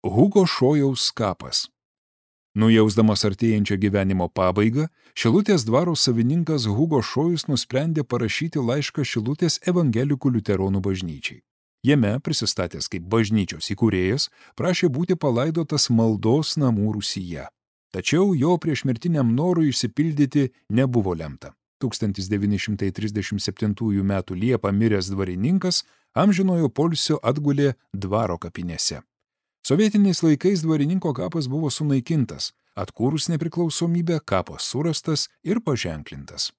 Hugo Šojaus kapas. Nujausdamas artėjančią gyvenimo pabaigą, Šilutės dvaro savininkas Hugo Šojus nusprendė parašyti laišką Šilutės evangelikų liuteronų bažnyčiai. Jame, prisistatęs kaip bažnyčios įkūrėjas, prašė būti palaidotas maldos namų Rūsyje. Tačiau jo priešmirtiniam norui išsipildyti nebuvo lemta. 1937 m. Liepą miręs dvarininkas amžinojo poilsio atgulė dvaro kapinėse. Sovietiniais laikais dvarininko kapas buvo sunaikintas, atkūrus nepriklausomybę kapas surastas ir paženklintas.